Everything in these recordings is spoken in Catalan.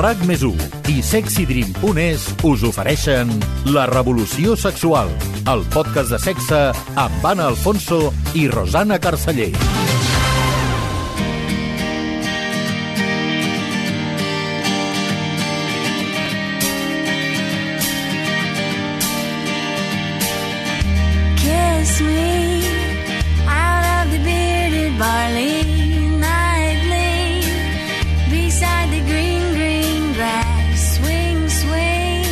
RAC+1 i SexyDream.es us ofereixen La Revolució Sexual, el podcast de sexe amb Anna Alfonso i Rosana Carceller. Kiss me out of the bearded barley nightly beside the green, green grass. Swing, swing.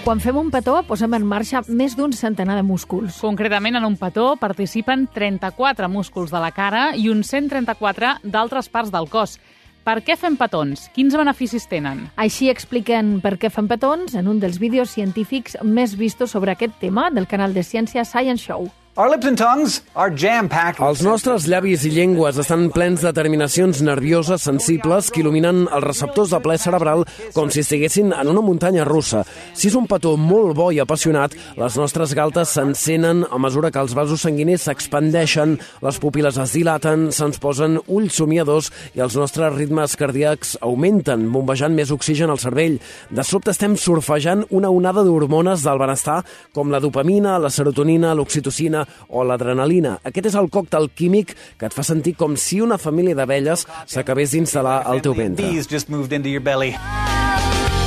Quan fem un petó, posem en marxa més d'un centenar de músculs. Concretament, en un petó participen 34 músculs de la cara i uns 134 d'altres parts del cos. Per què fem petons? Quins beneficis tenen? Així expliquen per què fem petons en un dels vídeos científics més vistos sobre aquest tema del canal de ciència Science Show. Our lips and tongues are jam-packed. Els nostres llavis i llengües estan plens de terminacions nervioses sensibles que il·luminen els receptors de plaer cerebral com si estiguessin en una muntanya russa. Si és un petó molt bo i apassionat, les nostres galtes s'encenen a mesura que els vasos sanguinis s'expandeixen, les pupil·les es dilaten, se'ns posen ulls somiadors i els nostres ritmes cardíacs augmenten, bombejant més oxigen al cervell. De sobte estem surfejant una onada d'hormones del benestar com la dopamina, la serotonina, l'oxitocina o l'adrenalina. Aquest és el còctel químic que et fa sentir com si una família d'abelles s'acabés d'instal·lar al teu ventre. Bees just moved into your belly.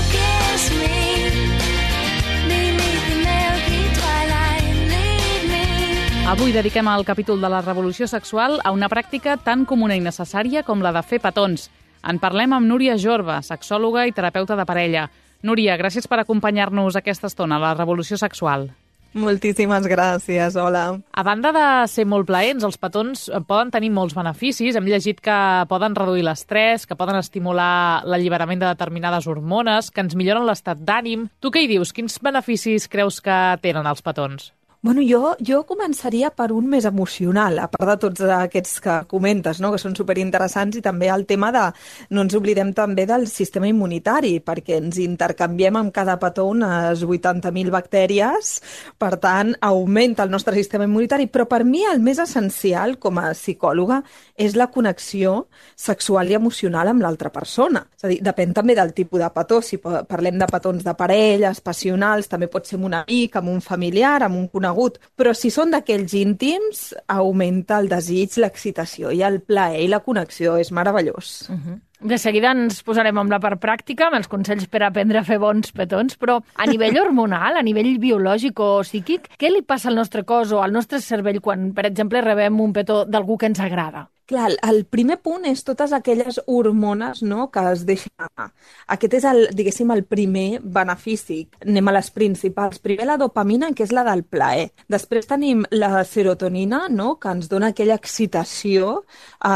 Kiss me beneath the milky twilight. Lead me. Avui dediquem el capítol de la revolució sexual a una pràctica tan comuna i necessària com la de fer petons. En parlem amb Núria Jorba, sexòloga i terapeuta de parella. Núria, gràcies per acompanyar-nos aquesta estona a la revolució sexual. Moltíssimes gràcies, hola. A banda de ser molt plaents, els petons poden tenir molts beneficis. Hem llegit que poden reduir l'estrès, que poden estimular l'alliberament de determinades hormones, que ens milloren l'estat d'ànim. Tu què hi dius? Quins beneficis creus que tenen els petons? Bueno, jo començaria per un més emocional, a part de tots aquests que comentes, no? Que són superinteressants, i també el tema de, no ens oblidem també del sistema immunitari, perquè ens intercanviem amb cada petó unes 80.000 bactèries, per tant, augmenta el nostre sistema immunitari, però per mi el més essencial com a psicòloga és la connexió sexual i emocional amb l'altra persona. És a dir, depèn també del tipus de petó. Si parlem de petons de parelles, passionals, també pot ser amb un amic, amb un familiar, amb un conegut, però si són d'aquells íntims, augmenta el desig, l'excitació i el plaer i la connexió. És meravellós. De seguida ens posarem amb la part pràctica, amb els consells per aprendre a fer bons petons, però a nivell hormonal, a nivell biològic o psíquic, què li passa al nostre cos o al nostre cervell quan, per exemple, rebem un petó d'algú que ens agrada? Clar, el primer punt és totes aquelles hormones, no?, que es deixen anar. Aquest és, diguéssim, el primer benefici. Anem a les principals. Primer la dopamina, que és la del plaer. Després tenim la serotonina, no?, que ens dona aquella excitació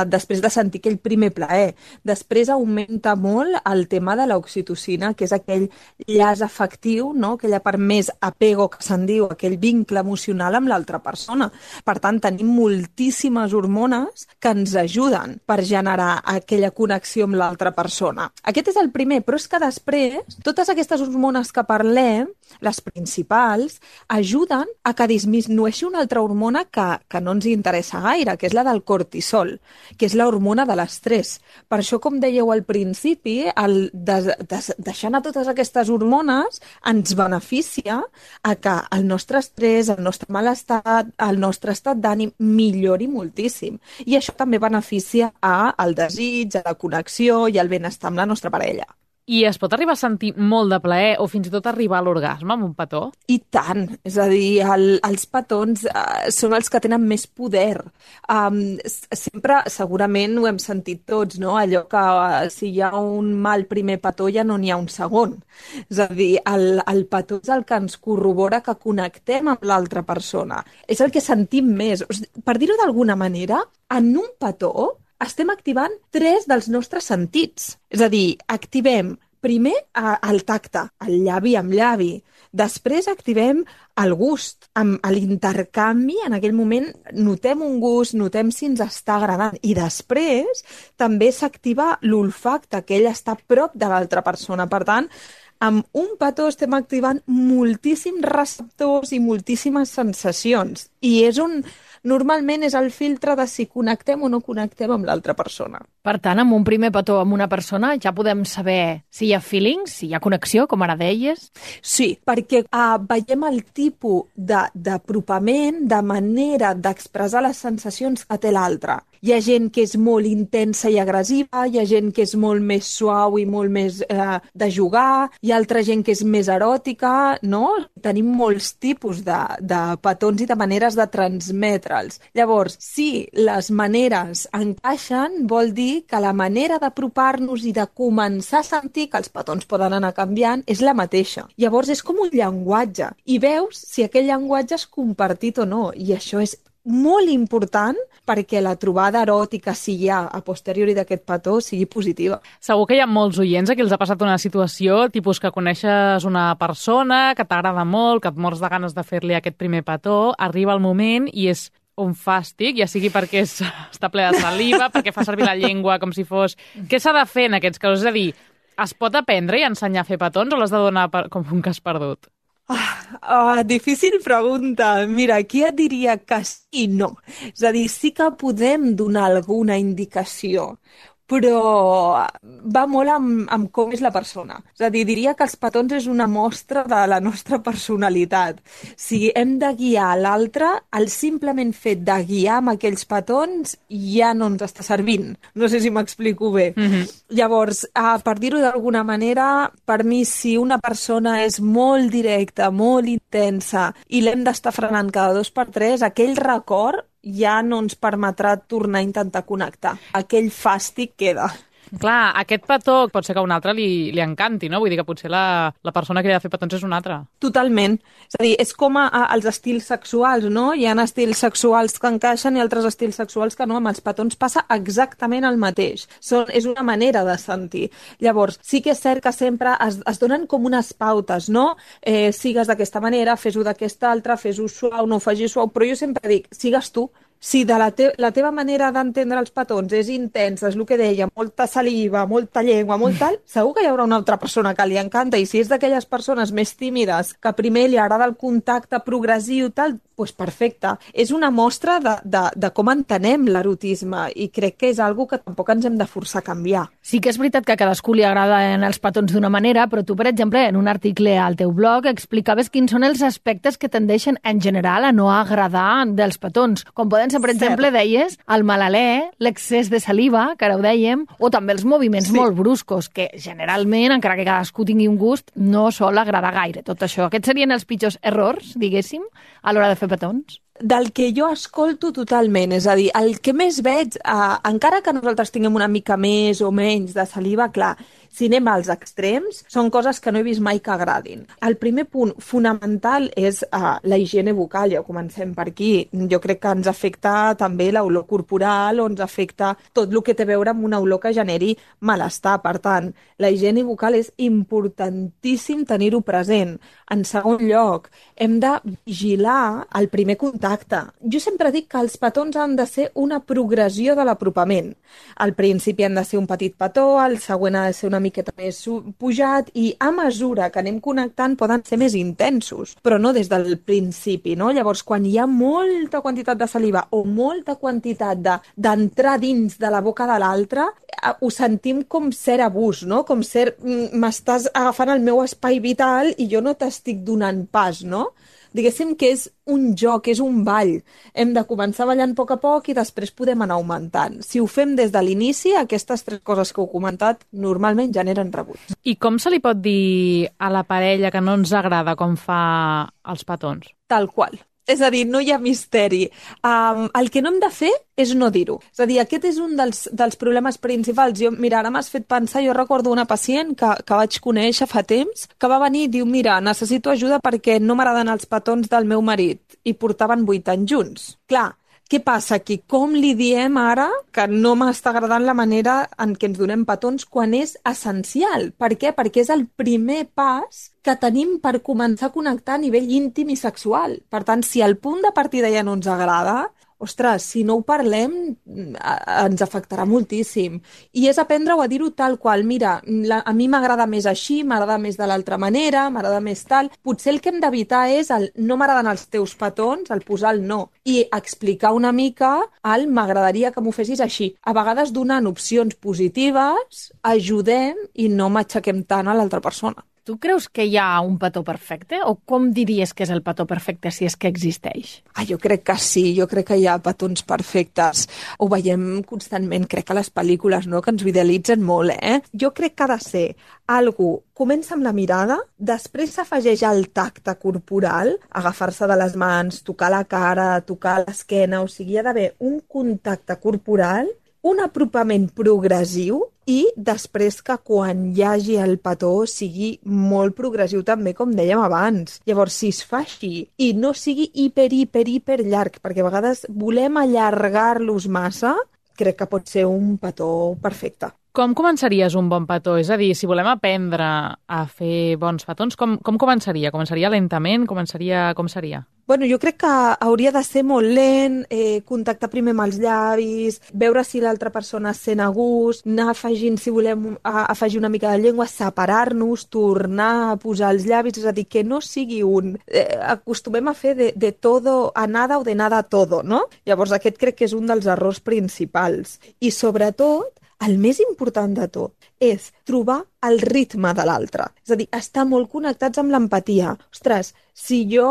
després de sentir aquell primer plaer. Després augmenta molt el tema de l'oxitocina, que és aquell llaç afectiu, no?, aquella part més apego que se'n diu, aquell vincle emocional amb l'altra persona. Per tant, tenim moltíssimes hormones que ens ajuden per generar aquella connexió amb l'altra persona. Aquest és el primer, però és que després, totes aquestes hormones que parlem, les principals, ajuden a que disminueixi una altra hormona que no ens interessa gaire, que és la del cortisol, que és l'hormona de l'estrès. Per això, com dèieu al principi, deixar anar totes aquestes hormones ens beneficia a que el nostre estrès, el nostre malestar, el nostre estat d'ànim millori moltíssim. I això també beneficia al desig, a la connexió i al benestar amb la nostra parella. I es pot arribar a sentir molt de plaer o fins i tot arribar a l'orgasme amb un petó? I tant! És a dir, els petons són els que tenen més poder. Sempre, segurament, ho hem sentit tots, no? Allò que si hi ha un mal primer petó ja no n'hi ha un segon. És a dir, el petó és el que ens corrobora que connectem amb l'altra persona. És el que sentim més. Per dir-ho d'alguna manera, en un petó estem activant 3 dels nostres sentits. És a dir, activem primer el tacte, el llavi amb llavi. Després activem el gust, amb l'intercanvi. En aquell moment notem un gust, notem si ens està agradant. I després també s'activa l'olfacte, que ell està a prop de l'altra persona. Per tant, amb un petó estem activant moltíssims receptors i moltíssimes sensacions. I normalment és el filtre de si connectem o no connectem amb l'altra persona. Per tant, amb un primer petó amb una persona ja podem saber si hi ha feelings, si hi ha connexió, com ara deies. Sí, perquè veiem el tipus d'apropament, de manera d'expressar les sensacions que té l'altre. Hi ha gent que és molt intensa i agressiva, hi ha gent que és molt més suau i molt més de jugar, hi ha altra gent que és més eròtica, no? Tenim molts tipus de petons i de maneres de transmetre'ls. Llavors, si les maneres encaixen, vol dir que la manera d'apropar-nos i de començar a sentir que els petons poden anar canviant és la mateixa. Llavors, és com un llenguatge. I veus si aquell llenguatge és compartit o no. I això és molt important perquè la trobada eròtica, si hi ha a posteriori d'aquest petó, sigui positiva. Segur que hi ha molts oients a qui els ha passat una situació, tipus que coneixes una persona, que t'agrada molt, que et mors de ganes de fer-li aquest primer petó, arriba el moment i és un fàstic, ja sigui perquè està ple de saliva, perquè fa servir la llengua com si fos... Què s'ha de fer en aquests casos? És a dir, es pot aprendre i ensenyar a fer petons o l'has de donar com un cas perdut? Difícil pregunta. Mira, aquí et diria que sí i no. És a dir, sí que podem donar alguna indicació, però va molt amb com és la persona. És a dir, diria que els petons és una mostra de la nostra personalitat. Si hem de guiar l'altre, el simplement fet de guiar amb aquells petons ja no ens està servint. No sé si m'explico bé. Llavors, per dir-ho d'alguna manera, per mi, si una persona és molt directa, molt intensa, i l'hem d'estar frenant cada 2 per 3, aquell record ja no ens permetrà tornar a intentar connectar. Aquell fàstic queda. Clar, aquest petó pot ser que a un altre li encanti, no? Vull dir que potser la persona que li ha de fer petons és una altra. Totalment. És a dir, és com els estils sexuals, no? Hi ha estils sexuals que encaixen i altres estils sexuals que no. Amb els petons passa exactament el mateix. És una manera de sentir. Llavors, sí que és cert que sempre es donen com unes pautes, no? Sigues d'aquesta manera, fes-ho d'aquesta altra, fes-ho suau, no ho facis suau, però jo sempre dic, sigues tu. Si la teva manera d'entendre els petons és intensa, és el que deia, molta saliva, molta llengua, molt tal, segur que hi haurà una altra persona que li encanta. I si és d'aquelles persones més tímides, que primer li agrada el contacte progressiu, tal, doncs perfecte. És una mostra de com entenem l'erotisme i crec que és algo que tampoc ens hem de forçar a canviar. Sí que és veritat que a cadascú li agraden els petons d'una manera, però tu, per exemple, en un article al teu blog explicaves quins són els aspectes que tendeixen en general a no agradar dels petons, com poden ser, per exemple, deies, el mal alè, l'excés de saliva, que ara ho dèiem, o també els moviments molt bruscos, que generalment, encara que cadascú tingui un gust, no sol agradar gaire tot això. Aquests serien els pitjors errors, diguéssim, a l'hora de fer petons? Del que jo escolto totalment, és a dir, el que més veig, encara que nosaltres tinguem una mica més o menys de saliva, clar, si anem als extrems, són coses que no he vist mai que agradin. El primer punt fonamental és la higiene bucal, ja comencem per aquí. Jo crec que ens afecta també l'olor corporal o ens afecta tot el que té a veure amb una olor que generi malestar. Per tant, la higiene bucal és importantíssim tenir-ho present. En segon lloc, hem de vigilar el primer contacte. Jo sempre dic que els petons han de ser una progressió de l'apropament. Al principi han de ser un petit petó, al següent ha de ser una miqueta més pujat i a mesura que anem connectant poden ser més intensos, però no des del principi, no? Llavors, quan hi ha molta quantitat de saliva o molta quantitat d'entrar dins de la boca de l'altre, ho sentim com cert abús, no? Com cert, m'estàs agafant el meu espai vital i jo no t'estic donant pas, no? Diguéssim que és un joc, és un ball. Hem de començar ballant a poc i després podem anar augmentant. Si ho fem des de l'inici, aquestes 3 coses que heu comentat normalment generen rebuig. I com se li pot dir a la parella que no ens agrada com fa els petons? Tal qual. És a dir, no hi ha misteri. El que no hem de fer és no dir-ho. És a dir, aquest és un dels problemes principals. Mira, ara m'has fet pensar, jo recordo una pacient que vaig conèixer fa temps, que va venir i diu, mira, necessito ajuda perquè no m'agraden els petons del meu marit. I portaven 8 anys junts. Clar, què passa aquí? Com li diem ara que no m'està agradant la manera en què ens donem petons quan és essencial? Per què? Perquè és el primer pas que tenim per començar a connectar a nivell íntim i sexual. Per tant, si el punt de partida ja no ens agrada, ostres, si no ho parlem, ens afectarà moltíssim. I és aprendre-ho a dir-ho tal qual. Mira, a mi m'agrada més així, m'agrada més de l'altra manera, m'agrada més tal. Potser el que hem d'evitar és el no m'agraden els teus petons, el posar el no. I explicar una mica el m'agradaria que m'ho fessis així. A vegades donant opcions positives, ajudem i no matxaquem tant a l'altra persona. Tu creus que hi ha un petó perfecte? O com diries que és el petó perfecte, si és que existeix? Jo crec que sí, jo crec que hi ha petons perfectes. Ho veiem constantment, crec que a les pel·lícules, no?, que ens idealitzen molt, Jo crec que ha de ser algú, comença amb la mirada, després s'afegeix el tacte corporal, agafar-se de les mans, tocar la cara, tocar l'esquena, o sigui, hi ha d'haver un contacte corporal, un apropament progressiu i després que quan hi hagi el petó sigui molt progressiu també, com dèiem abans. Llavors, si es fa així i no sigui hiper llarg, perquè a vegades volem allargar-los massa, crec que pot ser un petó perfecte. Com començaries un bon petó? És a dir, si volem aprendre a fer bons petons, com començaria? Començaria lentament? Com seria? Bueno, jo crec que hauria de ser molt lent, contactar primer amb els llavis, veure si l'altra persona es sent a gust, anar afegint, si volem afegir una mica de llengua, separar-nos, tornar a posar els llavis, és a dir, que no sigui un... acostumem a fer de todo a nada o de nada a todo, no? Llavors aquest crec que és un dels errors principals. I sobretot, el més important de tot és trobar el ritme de l'altre. És a dir, estar molt connectats amb l'empatia. Ostres, si jo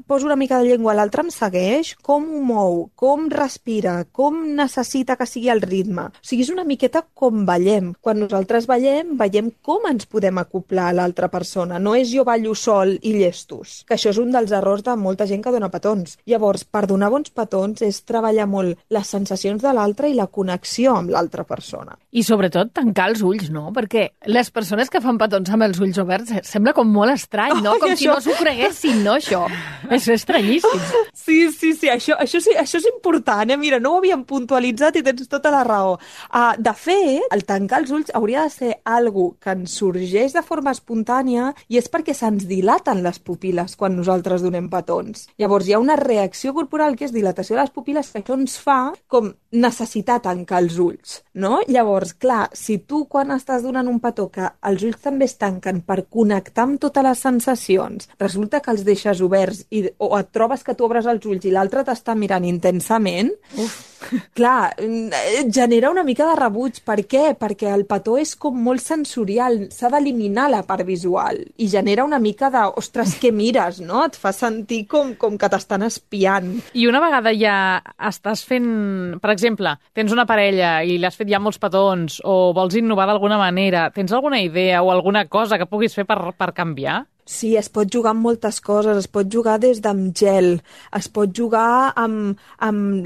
poso una mica de llengua, l'altre em segueix, com ho mou, com respira, com necessita que sigui el ritme. O sigui, és una miqueta com ballem. Quan nosaltres ballem, veiem com ens podem acoplar a l'altra persona. No és jo ballo sol i llestos, que això és un dels errors de molta gent que dona petons. Llavors, per donar bons petons és treballar molt les sensacions de l'altre i la connexió amb l'altra persona. I sobretot tancar els ulls, no? Perquè les persones que fan petons amb els ulls oberts sembla com molt estrany, no? Com si no s'ho creguessin, no, això? És estranyíssim. Sí, això és important, Mira, no ho havíem puntualitzat i tens tota la raó. De fet, el tancar els ulls hauria de ser algo que ens sorgeix de forma espontània i és perquè se'ns dilaten les pupil·les quan nosaltres donem petons. Llavors hi ha una reacció corporal que és dilatació de les pupil·les que això ens fa com necessitar tancar els ulls, no? Llavors, clar, si tu quan estàs donant un petó que els ulls també es tanquen per connectar amb totes les sensacions, resulta que els deixes oberts o et trobes que tu obres els ulls i l'altre t'està mirant intensament, clar, genera una mica de rebuig. Per què? Perquè el petó és com molt sensorial, s'ha d'eliminar la part visual i genera una mica de, ostres, què mires, no? Et fa sentir com que t'estan espiant. I una vegada ja estàs fent, per exemple, tens una parella i li has fet ja molts petons o vols innovar d'alguna manera, tens alguna idea o alguna cosa que puguis fer per canviar? Sí, es pot jugar amb moltes coses, es pot jugar des d'amb gel, es pot jugar amb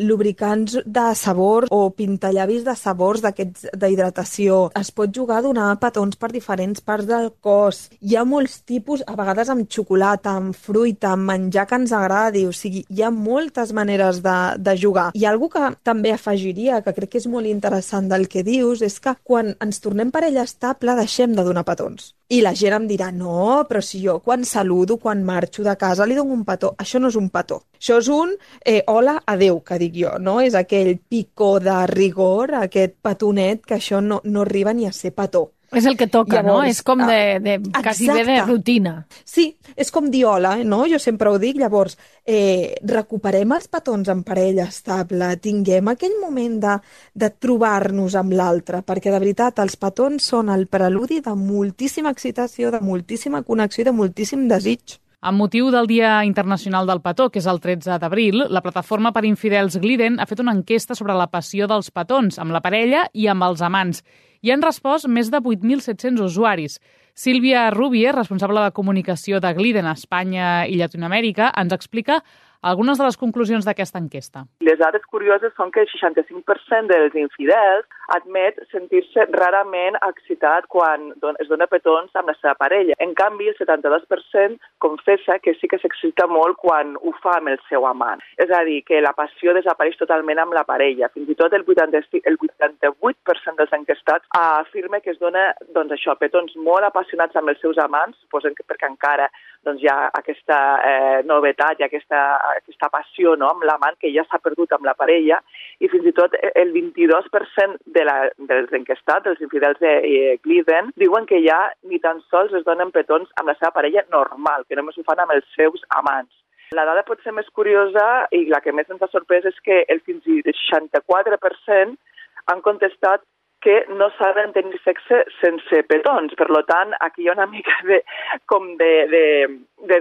lubricants de sabor o pintallavis de sabors d'aquests d'hidratació, es pot jugar a donar petons per diferents parts del cos. Hi ha molts tipus, a vegades amb xocolata, amb fruita, amb menjar que ens agradi, o sigui, hi ha moltes maneres de jugar. I algo que també afegiria, que crec que és molt interessant del que dius, és que quan ens tornem parella estable deixem de donar petons. I la gent em dirà, no, però si jo quan saludo, quan marxo de casa, li dono un petó. Això no és un petó. Això és un hola, adeu, que dic jo, no? És aquell picó de rigor, aquest petonet, que això no arriba ni a ser petó. És el que toca, llavors, no? És com quasi bé de rutina. Sí, és com dir hola, no? Jo sempre ho dic. Llavors, recuperem els petons en parella estable, tinguem aquell moment de trobar-nos amb l'altre, perquè de veritat els petons són el preludi de moltíssima excitació, de moltíssima connexió i de moltíssim desig. Amb motiu del Dia Internacional del Petó, que és el 13 d'abril, la plataforma per infidels Gliden ha fet una enquesta sobre la passió dels petons amb la parella i amb els amants. Hi han respost més de 8.700 usuaris. Sílvia Rubier, responsable de comunicació de Gliden a Espanya i Llatinoamèrica, ens explica algunes de les conclusions d'aquesta enquesta. Les dades curioses són que el 65% dels infidels admet sentir-se rarament excitat quan es dona petons amb la seva parella. En canvi, el 72% confessa que sí que s'excita molt quan ho fa amb el seu amant. És a dir, que la passió desapareix totalment amb la parella. Fins i tot el 88% dels enquestats afirma que es dona petons molt apassionats amb els seus amants, suposen que perquè encara hi ha aquesta novetat i aquesta aquesta passió, no?, amb l'amant que ja s'ha perdut amb la parella, i fins i tot el 22% dels enquestats, dels infidels de Glidden, diuen que ja ni tan sols es donen petons amb la seva parella normal, que només ho fan amb els seus amants. La dada pot ser més curiosa i la que més ens ha sorprès és que el fins i 64% han contestat que no saben tenir sexe sense petons. Per tant, aquí hi ha una mica de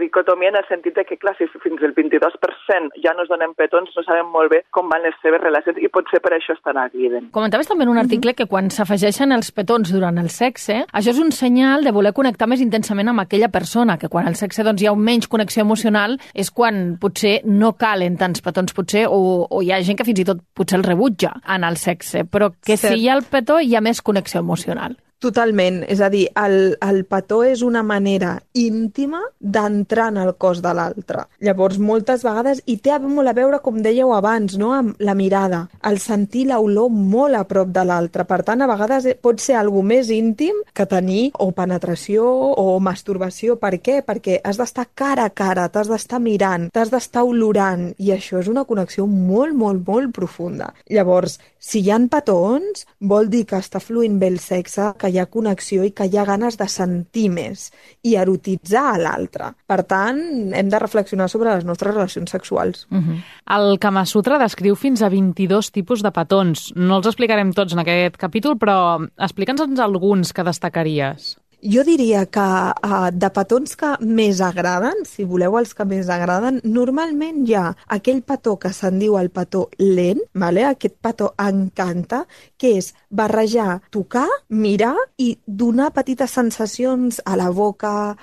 dicotomia en el sentit de que, clar, si fins el 22% ja no es donen petons, no saben molt bé com van les seves relacions i potser per això estan a Glidden. Comentaves també en un article que quan s'afegeixen els petons durant el sexe, això és un senyal de voler connectar més intensament amb aquella persona, que quan al sexe doncs, hi ha menys connexió emocional és quan potser no calen tants petons, potser, o hi ha gent que fins i tot potser el rebutja en el sexe, però que si hi ha el petó hi ha més connexió emocional. Totalment, és a dir, el petó és una manera íntima d'entrar en el cos de l'altre. Llavors, moltes vegades, i té molt a veure, com dèieu abans, no?, amb la mirada, el sentir l'olor molt a prop de l'altre. Per tant, a vegades pot ser algo més íntim que tenir o penetració o masturbació. Per què? Perquè has d'estar cara a cara, t'has d'estar mirant, t'has d'estar olorant, i això és una connexió molt, molt, molt profunda. Llavors, si hi ha petons, vol dir que està fluint bé el sexe, que hi ha connexió i que hi ha ganes de sentir més i erotitzar a l'altre. Per tant, hem de reflexionar sobre les nostres relacions sexuals. El Kama Sutra descriu fins a 22 tipus de petons. No els explicarem tots en aquest capítol, però explica'ns alguns que destacaries. Jo diria que de petons que més agraden, si voleu els que més agraden, normalment hi ha aquell petó que se'n diu el petó lent, vale? Aquest petó encanta, que és barrejar, tocar, mirar i donar petites sensacions a la boca,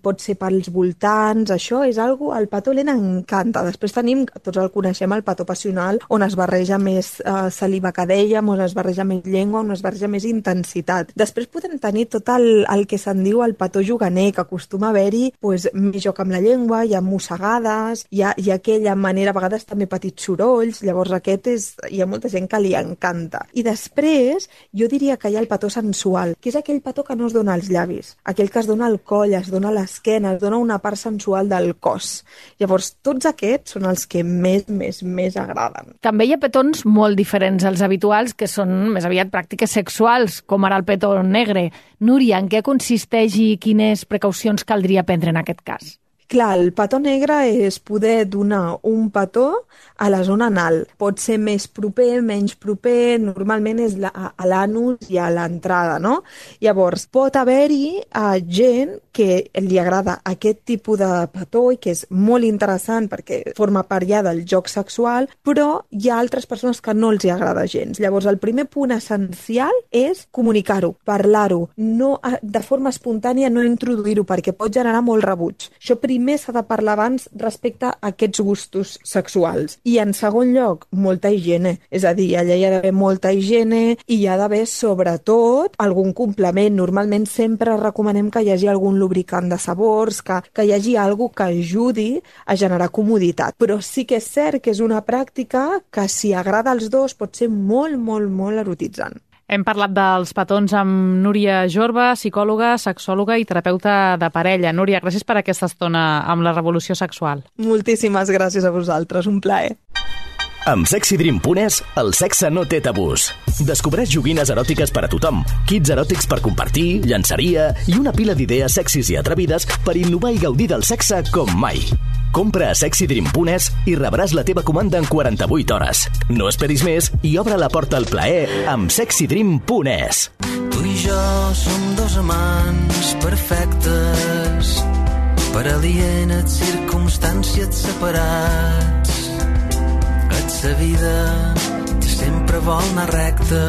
pot ser pels voltants, això és algo, el petó lent encanta. Després tenim, tots el coneixem, el petó passional, on es barreja més saliva que dèiem, on es barreja més llengua, on es barreja més intensitat. Després podem tenir tot el que se'n diu el petó juganer, que acostuma a haver-hi més joc amb la llengua, hi ha mossegades, hi ha aquella manera, a vegades també petits sorolls, llavors hi ha molta gent que li encanta. I després, jo diria que hi ha el petó sensual, que és aquell petó que no es dona als llavis, aquell que es dona al coll, es dona a l'esquena, es dona una part sensual del cos. Llavors, tots aquests són els que més agraden. També hi ha petons molt diferents als habituals, que són més aviat pràctiques sexuals, com ara el petó negre. Núria, en què consisteix i quines precaucions caldria prendre en aquest cas? Clar, el petó negre és poder donar un petó a la zona anal. Pot ser més proper, menys proper, normalment és a l'anus i a l'entrada, no? Llavors, pot haver-hi gent que li agrada aquest tipus de petó i que és molt interessant perquè forma part ja del joc sexual, però hi ha altres persones que no els hi agrada gens. Llavors, el primer punt essencial és comunicar-ho, parlar-ho, no de forma espontània no introduir-ho perquè pot generar molt rebuig. Això primer s'ha de parlar abans respecte a aquests gustos sexuals. I en segon lloc, molta higiene. És a dir, allà hi ha d'haver molta higiene i hi ha d'haver, sobretot, algun complement. Normalment sempre recomanem que hi hagi algun lubricant de sabors, que hi hagi alguna que ajudi a generar comoditat. Però sí que és cert que és una pràctica que, si agrada als dos, pot ser molt, molt, molt erotitzant. Hem parlat dels petons amb Núria Jorba, psicòloga, sexòloga i terapeuta de parella. Núria, gràcies per aquesta estona amb la revolució sexual. Moltíssimes gràcies a vosaltres, un plaer. Amb SexyDream.es, el sexe no té tabús. Descobreix joguines eròtiques per a tothom, kits eròtics per compartir, llenceria i una pila d'idees sexis i atrevides per innovar i gaudir del sexe com mai. Compra a SexyDream.es i rebràs la teva comanda en 48 hores. No esperis més i obre la porta al plaer amb SexyDream.es. Tu i jo som dos amants perfectes, per alienes circumstàncies separats. La vida sempre vol anar recta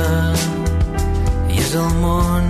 i és el món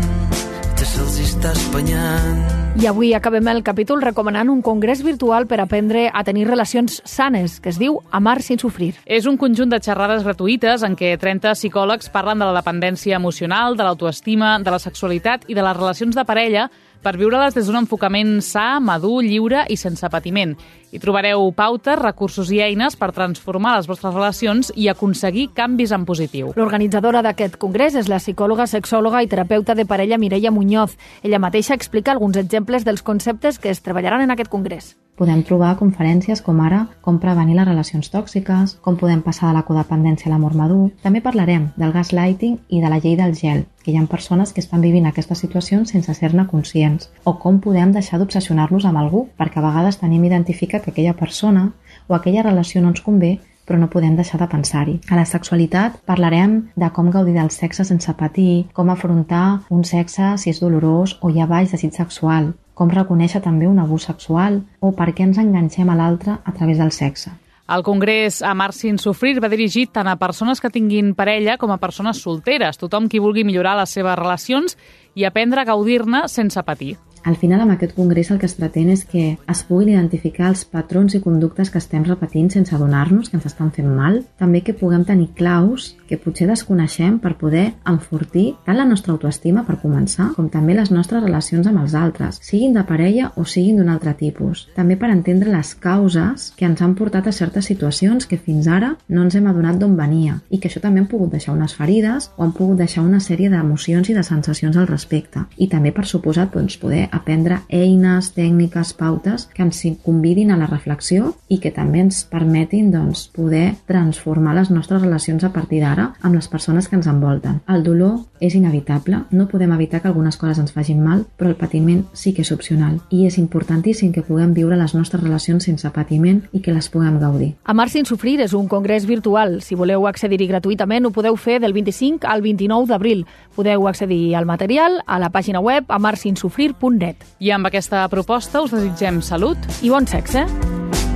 que se'ls està espanyant. I avui acabem el capítol recomanant un congrés virtual per aprendre a tenir relacions sanes, que es diu Amar sin sufrir. És un conjunt de xerrades gratuïtes en què 30 psicòlegs parlen de la dependència emocional, de l'autoestima, de la sexualitat i de les relacions de parella per viure-les des d'un enfocament sa, madur, lliure i sense patiment. Hi trobareu pautes, recursos i eines per transformar les vostres relacions i aconseguir canvis en positiu. L'organitzadora d'aquest congrés és la psicòloga, sexòloga i terapeuta de parella Mireia Muñoz. Ella mateixa explica alguns exemples dels conceptes que es treballaran en aquest congrés. Podem trobar conferències com ara com prevenir les relacions tòxiques, com podem passar de la codependència a l'amor madur. També parlarem del gaslighting i de la llei del gel, que hi ha persones que estan vivint aquestes situacions sense ser-ne conscients, o com podem deixar d'obsessionar-nos amb algú, perquè a vegades tenim identificat que aquella persona o aquella relació no ens convé, però no podem deixar de pensar-hi. A la sexualitat parlarem de com gaudir del sexe sense patir, com afrontar un sexe si és dolorós o hi ha baix desig sexual, com reconèixer també un abús sexual o per què ens enganxem a l'altre a través del sexe. El congrés Amar sin sufrir va dirigit tant a persones que tinguin parella com a persones solteres, tothom qui vulgui millorar les seves relacions i aprendre a gaudir-ne sense patir. Al final, amb aquest congrés el que es pretén és que es puguin identificar els patrons i conductes que estem repetint sense adonar-nos que ens estan fent mal. També que puguem tenir claus que potser desconeixem per poder enfortir tant la nostra autoestima, per començar, com també les nostres relacions amb els altres, siguin de parella o siguin d'un altre tipus. També per entendre les causes que ens han portat a certes situacions que fins ara no ens hem adonat d'on venia i que això també han pogut deixar unes ferides o han pogut deixar una sèrie d'emocions i de sensacions al respecte. I també, per suposat, poder aprendre eines, tècniques, pautes que ens convidin a la reflexió i que també ens permetin poder transformar les nostres relacions a partir d'ara amb les persones que ens envolten. El dolor és inevitable, no podem evitar que algunes coses ens facin mal, però el patiment sí que és opcional i és importantíssim que puguem viure les nostres relacions sense patiment i que les puguem gaudir. Amar sin sufrir és un congrés virtual. Si voleu accedir-hi gratuïtament, ho podeu fer del 25 al 29 d'abril. Podeu accedir al material a la pàgina web amarsinsufrir.net. I amb aquesta proposta us desitgem salut i bon sexe.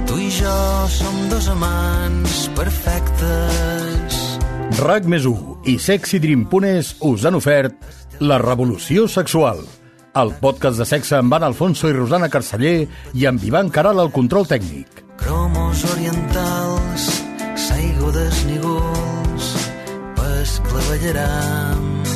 Tu i jo som dos amants perfectes. RAC+1 i SexyDream.es us han ofert La Revolució Sexual, el podcast de sexe amb Anna Alfonso i Rosana Carceller i amb Ivan Caral al control tècnic. Cromos orientals, saigudes nígols, pesclavellaram.